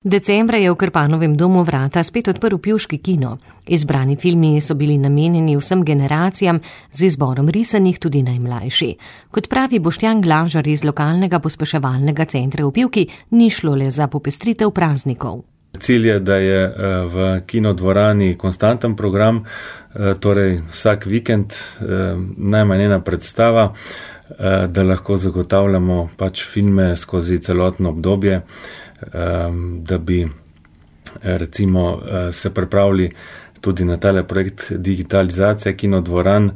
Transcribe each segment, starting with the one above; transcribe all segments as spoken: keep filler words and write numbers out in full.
Decembra je v Krpanovem domu vrata spet odprl pivški kino. Izbrani filmi so bili namenjeni vsem generacijam, z izborom risanih tudi najmlajši. Kot pravi Boštjan Glažar iz lokalnega pospeševalnega centra v Pivki, ni šlo le za popestritev praznikov. Cilj je, da je v kinodvorani konstanten program, torej vsak vikend najmanj ena predstava, da lahko zagotavljamo pač filme skozi celotno obdobje, da bi recimo se pripravili tudi na tale projekt digitalizacije kinodvoran,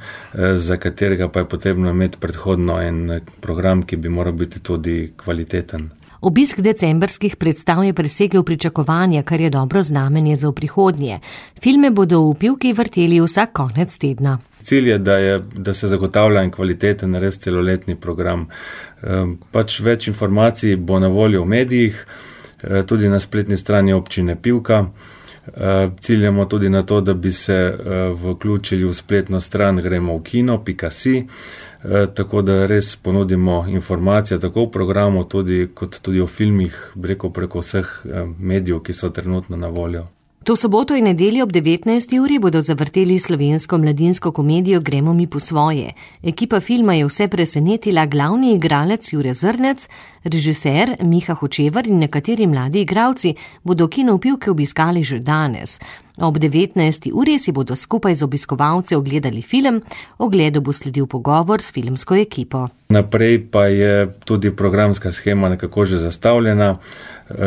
za katerega pa je potrebno imeti predhodno en program, ki bi moral biti tudi kvaliteten. Obisk decembrskih predstav je presegel pričakovanja, kar je dobro znamenje za v prihodnje. Filme bodo v Pivki vrteli vsak konec tedna. Cilj je, da, je, da se zagotavlja en kvaliteten, res celoletni program. Pač več informacij bo na voljo v medijih, tudi na spletni strani občine Pivka. Ciljamo tudi na to, da bi se vključili v spletno stran gremo v kino pika si, tako da res ponudimo informacije tako v programu, tudi, kot tudi o filmih, rekel preko vseh medijev, ki so trenutno na voljo. To soboto in nedeljo ob devetnajsti uri bodo zavrteli slovensko mladinsko komedijo Gremo mi po svoje. Ekipa filma je vse presenetila, glavni igralec Jure Zrnec, režiser Miha Hočevar in nekateri mladi igralci bodo kino v Pivki obiskali že danes. Ob devetnajsti uri si bodo skupaj z obiskovalci ogledali film, ogledu bo sledil pogovor s filmsko ekipo. Naprej pa je tudi programska shema nekako že zastavljena.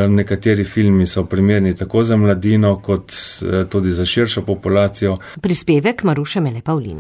Nekateri filmi so primerni tako za mladino, kot tudi za širšo populacijo. Prispevek Maruše Mele Pavlin.